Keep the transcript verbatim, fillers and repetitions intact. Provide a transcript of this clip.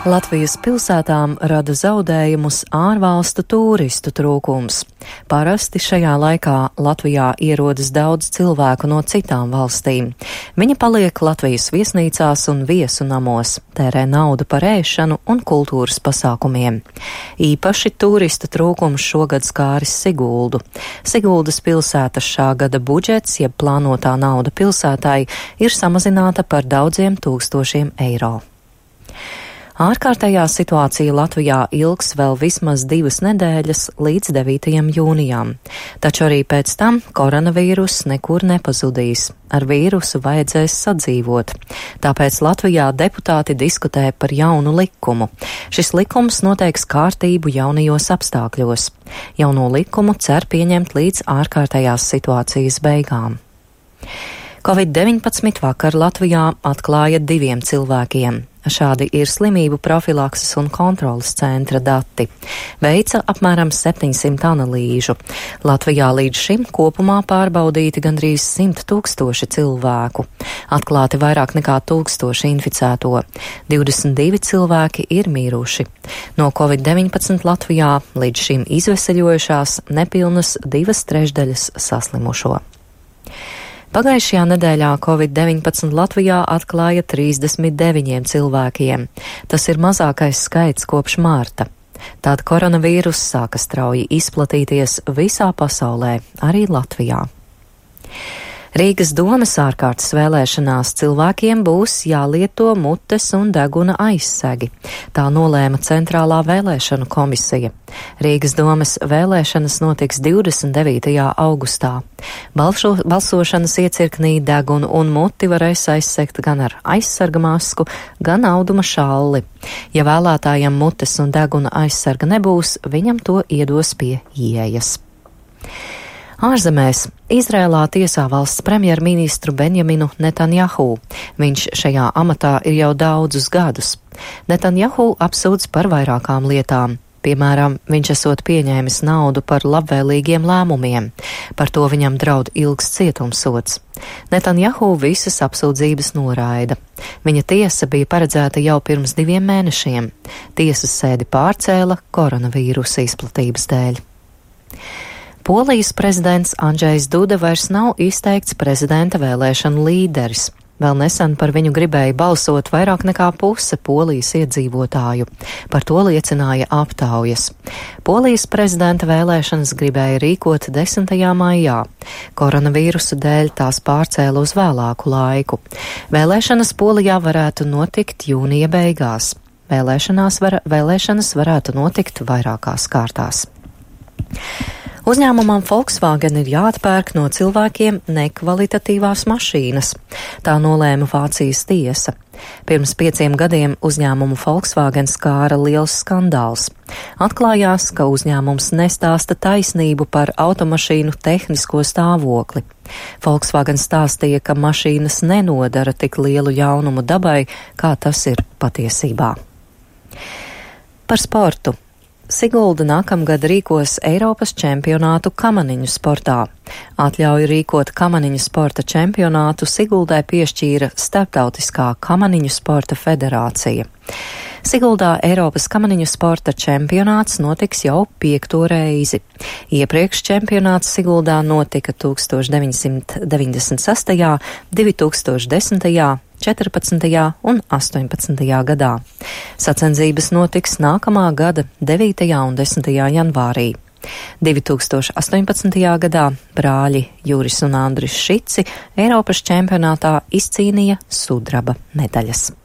Latvijas pilsētām rada zaudējumus ārvalstu tūristu trūkums. Parasti šajā laikā Latvijā ierodas daudz cilvēku no citām valstīm. Viņi paliek Latvijas viesnīcās un viesu namos, tērē naudu par ēšanu un kultūras pasākumiem. Īpaši tūristu trūkums šogad skāris Siguldu. Siguldas pilsētas šā gada budžets, jeb plānotā nauda pilsētai, ir samazināta par daudziem tūkstošiem eiro. Ārkārtējā situācija Latvijā ilgs vēl vismaz divas nedēļas līdz devītajam jūnijam, taču arī pēc tam koronavīruss nekur nepazudīs. Ar vīrusu vajadzēs sadzīvot. Tāpēc Latvijā deputāti diskutē par jaunu likumu. Šis likums noteiks kārtību jaunajos apstākļos. Jauno likumu cer pieņemt līdz ārkārtējās situācijas beigām. covid deviņpadsmit vakar Latvijā atklāja diviem cilvēkiem. Šādi ir slimību profilakses un kontrolas centra dati. Veica apmēram septiņsimt analīžu. Latvijā līdz šim kopumā pārbaudīti gandrīz simt tūkstoši cilvēku. Atklāti vairāk nekā tūkstoši inficēto. divdesmit divi cilvēki ir miruši. No covid deviņpadsmit Latvijā līdz šim izveseļojušās nepilnas divas trešdaļas saslimušo. Pagājušajā nedēļā covid deviņpadsmit Latvijā atklāja trīsdesmit deviņiem cilvēkiem. Tas ir mazākais skaits kopš mārta. Tad koronavīruss sāka strauji izplatīties visā pasaulē, arī Latvijā. Rīgas domes ārkārtas vēlēšanās cilvēkiem būs jālieto mutes un deguna aizsegi. Tā nolēma Centrālā vēlēšanu komisija. Rīgas domes vēlēšanas notiks divdesmit devītajā augustā. Balšo, balsošanas iecirknī degunu un muti varēs aizsegt gan ar aizsarga masku, gan auduma šalli. Ja vēlētājam mutes un deguna aizsarga nebūs, viņam to iedos pie ieejas. Ārzemēs Izrēlā tiesā valsts premjerministru Benjaminu Netanjahu. Viņš šajā amatā ir jau daudzus gadus. Netanjahu apsūdz par vairākām lietām. Piemēram, viņš esot pieņēmis naudu par labvēlīgiem lēmumiem. Par to viņam draud ilgs cietumsods. Netanjahu visas apsūdzības noraida. Viņa tiesa bija paredzēta jau pirms diviem mēnešiem. Tiesas sēdi pārcēla koronavīrusa izplatības dēļ. Polijas prezidents Andžejs Duda vairs nav izteikts prezidenta vēlēšanu līderis. Vēl nesen par viņu gribēja balsot vairāk nekā puse Polijas iedzīvotāju. Par to liecināja aptaujas. Polijas prezidenta vēlēšanas gribēja rīkot desmitajā maijā. Koronavīrusa dēļ tās pārcēla uz vēlāku laiku. Vēlēšanas Polijā varētu notikt jūnija beigās. Vēlēšanās var, vēlēšanas varētu notikt vairākās kārtās. Uzņēmumam Volkswagen ir jāatpērk no cilvēkiem nekvalitatīvās mašīnas. Tā nolēma Vācijas tiesa. Pirms pieciem gadiem uzņēmumu Volkswagen skāra liels skandāls. Atklājās, ka uzņēmums nestāsta taisnību par automašīnu tehnisko stāvokli. Volkswagen stāstīja, ka mašīnas nenodara tik lielu ļaunumu dabai, kā tas ir patiesībā. Par sportu. Sigulda nākamgad rīkos Eiropas čempionātu kamaniņu sportā. Atļauju rīkot kamaniņu sporta čempionātu Siguldai piešķīra Starptautiskā kamaniņu sporta federācija. Siguldā Eiropas kamaniņu sporta čempionāts notiks jau piekto reizi. Iepriekš čempionāts Siguldā notika tuksstoš deviņsimt deviņdesmit sestajā, divi tūkstoši desmitajā, četrpadsmitajā un astoņpadsmitajā gadā. Sacensības notiks nākamā gada devītajā un desmitajā janvārī. divi tūkstoši astoņpadsmitajā gadā brāļi Juris un Andris Šici Eiropas čempionātā izcīnīja sudraba medaļas.